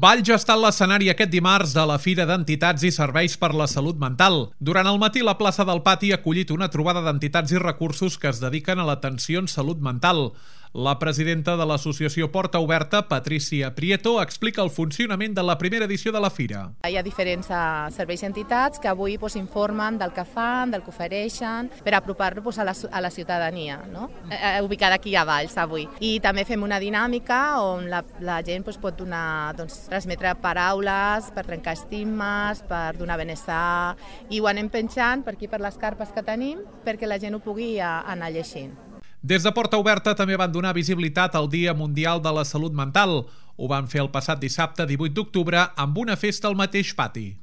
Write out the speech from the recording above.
Valls ha estat l'escenari aquest dimarts de la Fira d'Entitats i Serveis per la Salut Mental. Durant el matí, la plaça del Pati ha acollit una trobada d'entitats i recursos que es dediquen a l'atenció en salut mental. La presidenta de l'associació Porta Oberta, Patricia Prieto, explica el funcionament de la primera edició de la Fira. Hi ha diferents serveis i entitats que avui informen del que fan, del que ofereixen, per apropar-los a la ciutadania, no? Ubicada aquí a Valls avui. I també fem una dinàmica on la gent pot transmetre paraules per trencar estigmes, per donar benestar, i ho anem penjant per aquí per les carpes que tenim perquè la gent ho pugui anar llegint. Des de Porta Oberta també van donar visibilitat al Dia Mundial de la Salut Mental. Ho van fer el passat dissabte 18 d'octubre amb una festa al mateix pati.